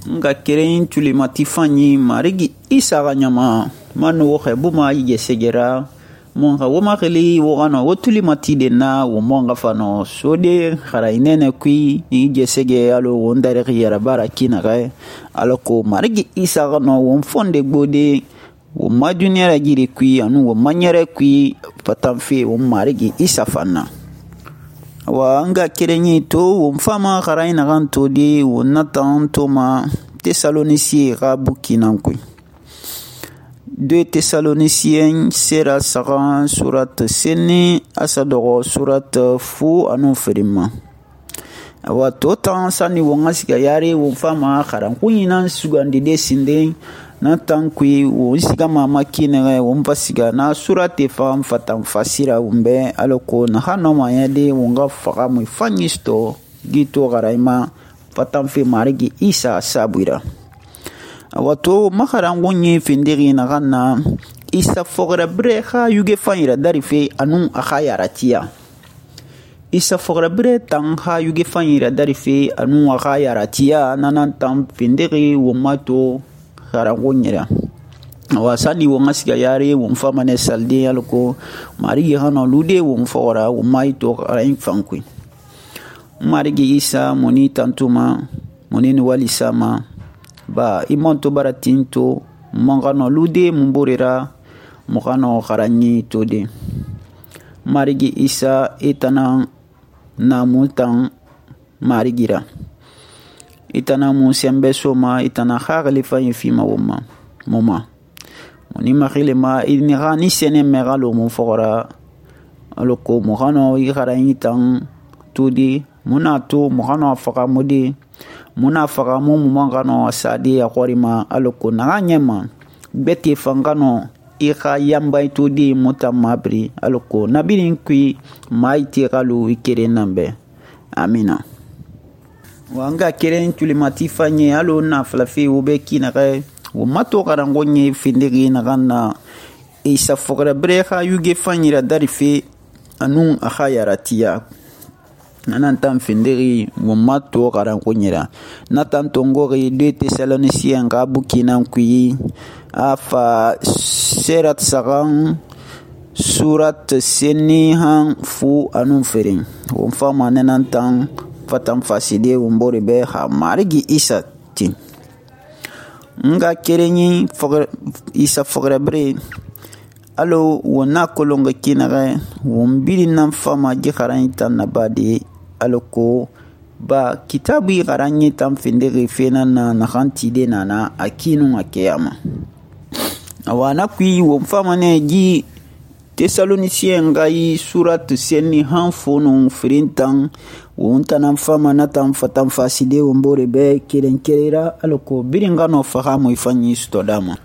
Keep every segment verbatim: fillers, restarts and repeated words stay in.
nga keren tulimati fanyi marigi Isa ga ɲama manu wo xe buma yige segera mon xa wo maxili wo xano wo tulimati de na wo mon xa fano sode xara inene kui yige sege alo wo ndarixi yarabara kinaxe alako marigi Isa xano wo fonde gbode wo ma duniya ragiri kui anu wo ma ɲɛrɛ kui fatanfe wo marigi Isa fanna wa nga kerenyi to wo fama xara inaxan to de wo natan to ma Thessaloniciens xa buki nan kui deux Thessaloniciens sera saxan surat seni asa dɔgɔ surat fu anu ferima awa to tan sani wo nga siga yare wo fama xaran kunyinan sugandide sinden na tan kui wo siga mama kinere wo mfa siga na surate fan fatan fasira wumbe aloko na hano mayade wo nga faga mu fanyisto gito garaima fatan fe marigi Isa sabuira wato makaran gonye findiri na ganna Isa fogra breha yuge fanyira darife anun akaya ratia Isa fogra bre tan ha yuge fanyira darife anun akaya ratia nanan tan findiri wo mato garangonyira wasani wo ngasiga yare wo mfamane salde alko marigi hano lude wo mfora wo maito rain fankui marigi Isa moni tantuma moni wali sama ba imonto baratinto mongano lude mumborera mongano kharanyi tode marigi Isa etana na multan marigira itana mu sembe soma itana khagali fa yifima woma moma moni makhile ma ini gani sene megalo mu fora aloko mongano yi kharanyi tan todi munato mongano afaka modi muna faga mu mangano asade ya qorima aloko na nyema beti fangano ika yamba itodi mutamabri aloko nabirin kui maiti galu ikere nambe amina wanga keren tulimati fanye alo na flafi ubeki na kai wo mato garangonye findigi na ganna Isa fogra breha yuge fanyira darife anun akhayaratia nanan tan findiri wo mato garan kunyira natan tongori deux Thessaloniciens ga bukinan kuyi afa serat sagan surat seni han fu anun ferin wo fama nanan tan fatan faside wo mbore be ha marigi Isa tin nga kerenyi fogra Isa fogra bre alo wona kolonga kinare wo mbili nan fama ji kharan tan nabadi aloko ba kitabu garanyi tam findiri fena na nakhanti de nana akinu akiyama awana kui wo mfama ne ji Thessaloniciens ngai surat seni hanfono frintan wo ntana mfama na tam fatam faside wo mbore be kerenkerera aloko biringano fahamu ifanyi stodama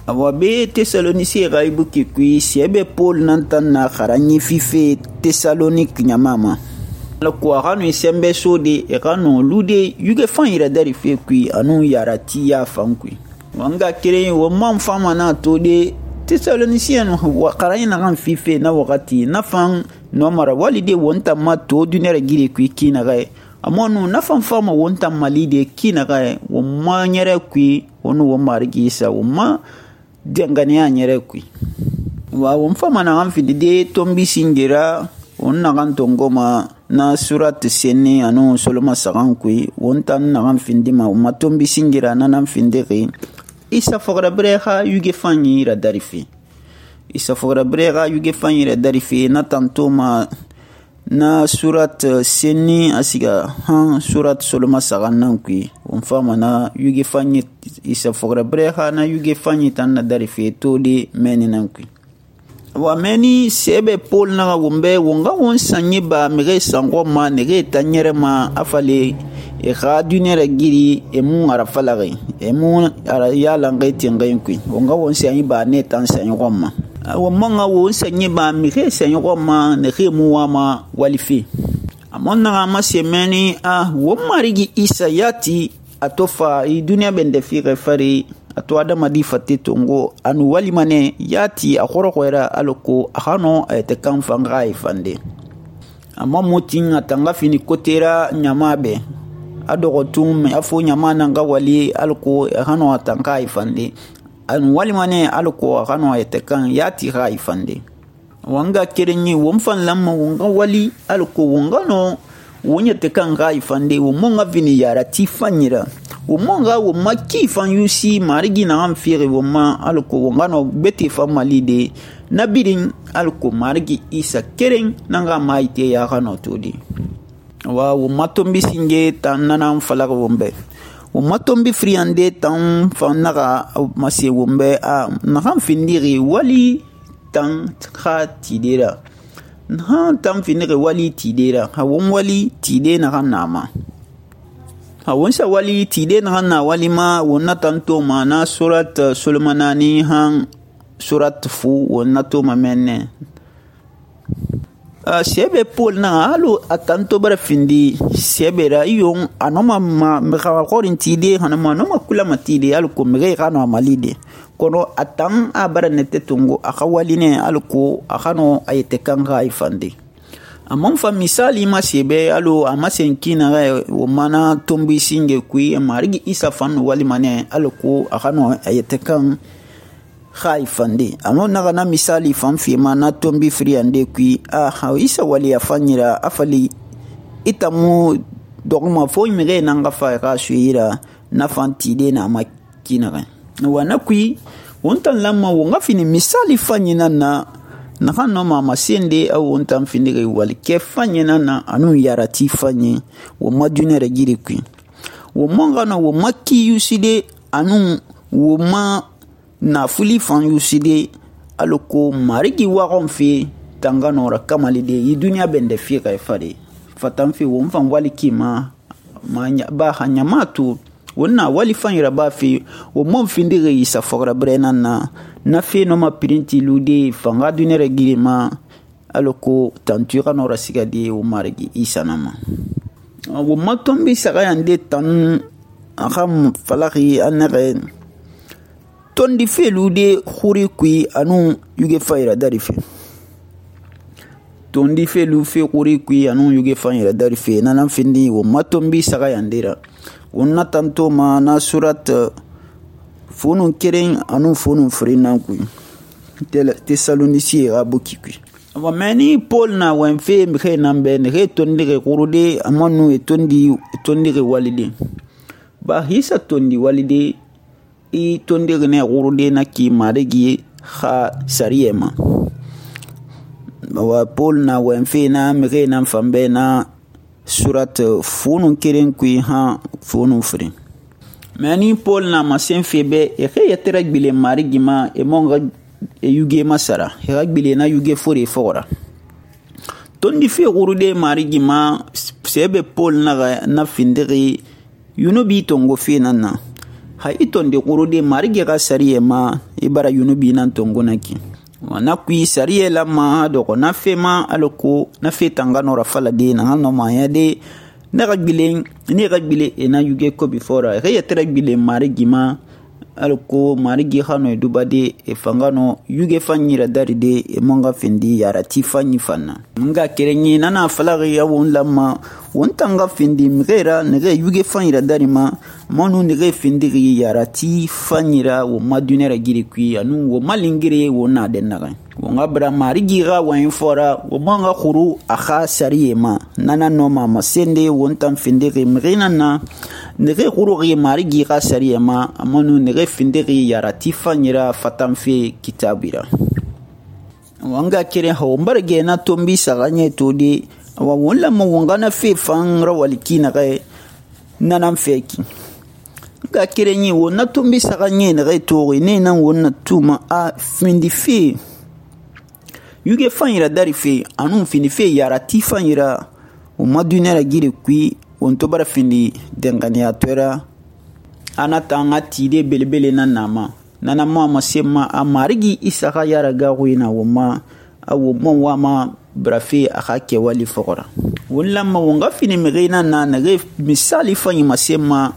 awa be Thessaloniciens ngai buki kui siebe Paul nantan na kharanyi fife Thessalonique nyamama alako agano isembe sode egano lude yuge fanyira dari fe kui anu yarati ya fankui wanga kire wo man fama na tode Thessaloniciens wa qarayna gan fife na wakati na fan no mara walide wonta ma to dunere gire kui kina ga amonu na fan fama wonta malide kina ga wo ma nyere kui wonu wo marigi Isa wo ma dengane ya nyere kui wa wo fama na gan fide tombi singira onna gan tongoma na surat seni anu soloma sagan kui wontan na gan findima matombi singira na nan findiri Isa fogra breha yuge fanyi ra darifi Isa fogra breha yuge fanyi ra darifi na tantoma na surat seni asiga han surat soloma sagan nan kui wonfama na yuge fanyi Isa fogra breha na yuge fanyi tan na darifi todi meni nan kui wa meni sebe Paul na wumbe wonga won sanye ba mege sango ma nege tanyere ma afale e khadunere giri e mun arafalare e mun ara yala ngai tingai kui wonga won sanye ba ne tan sanye gomma wa manga won sanye ba mege sanye gomma ne ke mu wa ma walifi amonna ma semeni a wo marigi Isa yati atofa i dunia bende fi refari ato adama di fate tongo anu walimane yati akhoro kwera aloko ahano ayete kan fanga ifande amma motin atanga fini kotera nyamabe a dɔgɔtun a fo ɲama nan ka wali alko a kana a tan ka ifande an walima ne alko a kana a yɛtɛ kan ya ti ka ifande wanga kerenyi won fan lamma wonga wali alko wonga no wonyɛtɛ kan ka ifande wo monga vini yara ti fanyira wo monga wo maki fan yusi marigi na an fire wo ma alko wonga no beti fa mali de nabirin alko marigi isa keren nanga maite ya kana todi wa wo matombi singe tan nanan falaga wombe wo matombi friande tan fan naga mase wombe a nahan findiri wali tan kha tidera nahan tan findiri wali tidera ha won wali tide nahan nama ha won sa wali tide nahan na wali ma wonna tanto ma na surat sulmanani han surat fu wonna to ma menne Uh, sebe Paul na halo atanto bara findi sebe ra yon anoma ma meka korin tide hanama noma kula matide alko mege kano amalide kono atan abara nete tungo akawaline alko akano ayete kanga ifande amon fa misali ma sebe alo amasenkina ga wo mana tombi singe kui marigi isa fan wali mane alko akano ayete kan khaifande amo naga na misali fanfi ma na tombi friande kui a ha isa wali afanyira afali itamu dogma fo mire nanga fa ka shuira na fantide na makina wana kui wontan lamma wonga fini misali fanyina na na kanno ma masende au wontan fini wali ke fanyina na anu yarati fanyi wo madune regiri kui wo monga na wo makki yuside anu wo ma na fuli fan yuside aloko marigi wagon fe tanganora kamalide yi dunya bende fi ka fare fatan fi won fan wali kima manya ba hanya matu wonna wali fan ira ba fi wo mon findire isa fogra brenan na na fe no ma printi lude fanga dunere girima aloko tantura no rasigade wo marigi isa nama wo matombi saga yande tan akam falaki anere tondi felude khuri kui anu yuge fayra darife tondi felu fe khuri kui anu yuge fayra darife nanan findi wo matombi saga yandira wonna tanto ma na surat funun keren anu funun frina kui Tesalonisi abuki kui wa mani Paul na wan fe mkhe nambe ne tondi re kurude amanu e tondi tondi re walide ba hisa tondi walide i tondi ne gurude na ki marigi kha sariyema wa Paul na wenfe na mire na fambe na surat funun kiren kui ha funun fri mani Paul na masen febe e khe yatera gbile marigi ma e monga e yuge masara e gbile na yuge fori fora tondi fe gurude marigi ma sebe Paul na na findiri yunubi tongo fe na ha itonde kurude marige ga sariye ma ibara yunubi nan tongonaki wana kui sariye la ma do ko na fe ma aloko na fe tangano rafala de na no ma ya de na gagbile ni gagbile e na yuge ko before re yetere gbile marigi ma aloko marigi khano e dubade e fangano yuge fanyira daride e monga fendi yara ti fanyi fanna nga kerenyi nana falagi ya won lamma wontanga fendi mgera nege yuge fanyira darima monu nege fendi yara ti fanyira wo madunera giri kui anu wo malingire wo na dennaga wonga bra marigi ga wan fora wo monga khuru akha sariyema nana no mama sende wontan fendi mgena na nege khuru gi marigi ga sariyema monu nege findiri yarati fanyira fatamfe kitabira wanga kire ho mbarge na tombi saganye todi wa wala mo wanga na fe fan rawaliki na ga nanam feki ga kire ni wona tombi saganye na ga to ne nan wona tuma a findi fe yuge fanyira dari fe anu findi fe yarati fanyira o madunera gire kui on to bara findi dengania tora anata nga tide belebele na nama nana mo amasema amarigi isaka yara gawina woma awo mo wama brafi akake wali fokora wala ma wonga fini mirina na nage misali fanyi masema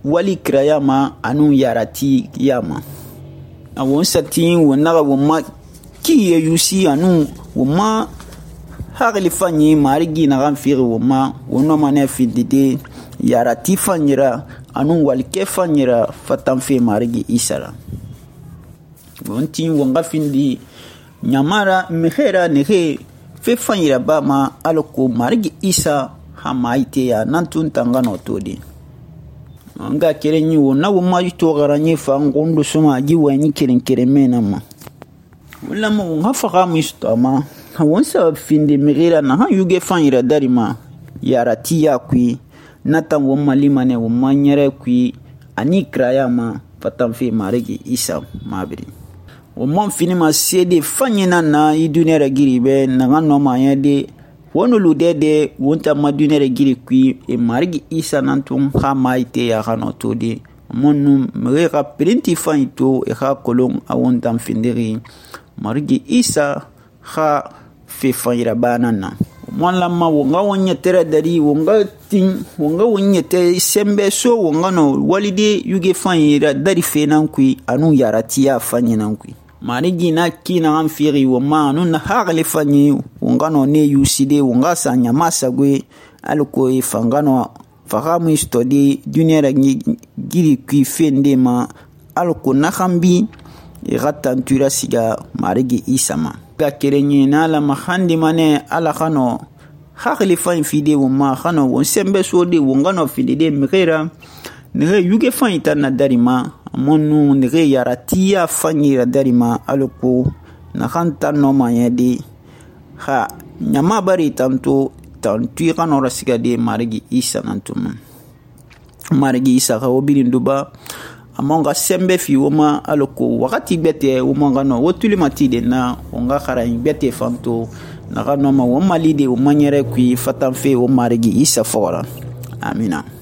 wali krayama anu yarati yama awon satin wona woma kiye yusi anu woma hagli fanyi marigi na gamfiri woma wona mane fidide yarati fanyira anu walke fanyira fatanfe marigi Isa ra. Wonti wonga findi nyamara mehera nehe fe fanyira ba ma alako marigi Isa ha maite ya nantun tangano todi. Nga kerenyi wo na wo ma to garanye fa ngondo suma ji wani keren keren mena ma. Wala mo nga faga mu istama. Won sa findi mehera na ha yuge fanyira darima yarati ya kui natan won malima ne won manyere kui ani kraya ma fatanfe marigi Isa mabiri. O mon fini ma sede fanyina na i dunere giri be na ngano ma yede wono ludede wonta ma dunere giri kui e marigi Isa nantun ha maite ya hano todi monu mre ka printi fanito e ha kolon a wonta findiri marigi Isa ha fe fanyira banana mon lamma wonga wonya tere dari wonga tin wonga wonya te sembe so wonga no walide yuge fanyira dari fenan kui anu yaratiya fanyinan kui marigi na kina an firi wo ma anu na hagle fanyi wonga no ne yuside wonga sanya masagwe alko e fangano fagamu stodi duniyara giri kui fende ma alko na khambi e gatantura siga marigi Isa ma ga kerenye na la mahandi mane ala khano hagle fan fide wo ma khano won sembe so de wonga no fide de mkhira ne yuge fan itana darima monu ne yaratiya fanyira darima aloko na khanta no mayedi ha nyama bari tanto tantu khano rasiga de marigi Isa nantum marigi Isa ha obirin duba amonga sembe fi woma aloko wakati bete woma no wotuli matide na onga khara bete fanto na no ma woma lide woma nyere kui fatanfe wo marigi Isa fora amina.